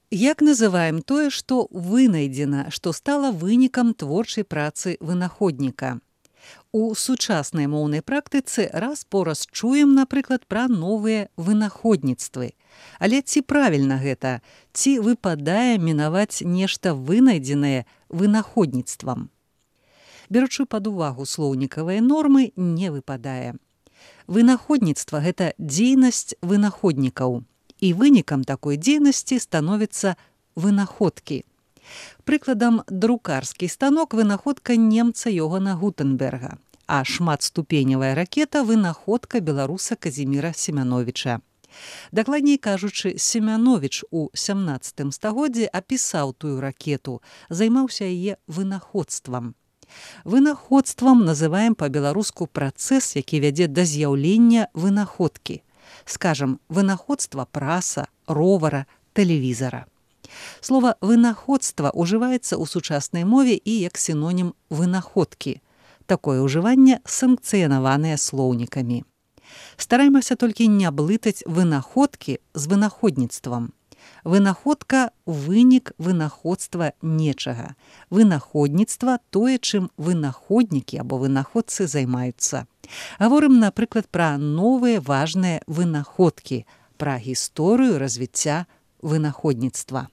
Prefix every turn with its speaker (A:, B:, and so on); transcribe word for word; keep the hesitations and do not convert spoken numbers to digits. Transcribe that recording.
A: Як называем тое, што вынайдзена, што стала вынікам творчай працы вынаходніка? У сучаснай моўнай практыцы раз-пораз чуем, напрыклад, пра новыя вынаходніцтвы. Але ці правільна гэта? Ці выпадае мінаваць нешта вынайдзенае вынаходніцтвам? Беручы пад увагу слоўнікавыя нормы, не выпадае. Вынаходніцтва – гэта дзейнасць вынаходнікаў. І вынікам такой дзейнасці становяцца вынаходкі. Прыкладам, друкарскі станок – вынаходка немца Йогана Гутенберга, а шматступеневая ракета – вынаходка беларуса Казіміра Семяновіча. Дакладней кажучы, Семяновіч у сямнаццатым стагоддзі апісаў тую ракету, займаўся яе вынаходствам. Вынаходствам называем па-беларуску працэс, які вядзе да з'яўлення вынаходкі. Скажам, вынаходства праса, ровара, тэлевізара. Слова «вынаходства» ўжываецца ў сучаснай мове і як сінонім «вынаходкі». Такое ўжыванне санкцыянаванае слоўнікамі. Стараемся толькі не блытаць вынаходкі з вынаходніцтвам. Вынаходка – вынік вынаходства нечага. Вынаходніцтва – тое, чым вынаходнікі або вынаходцы займаюцца. Гаворым, напрыклад, пра новыя важныя вынаходкі, пра гісторыю развіцця вынаходніцтва.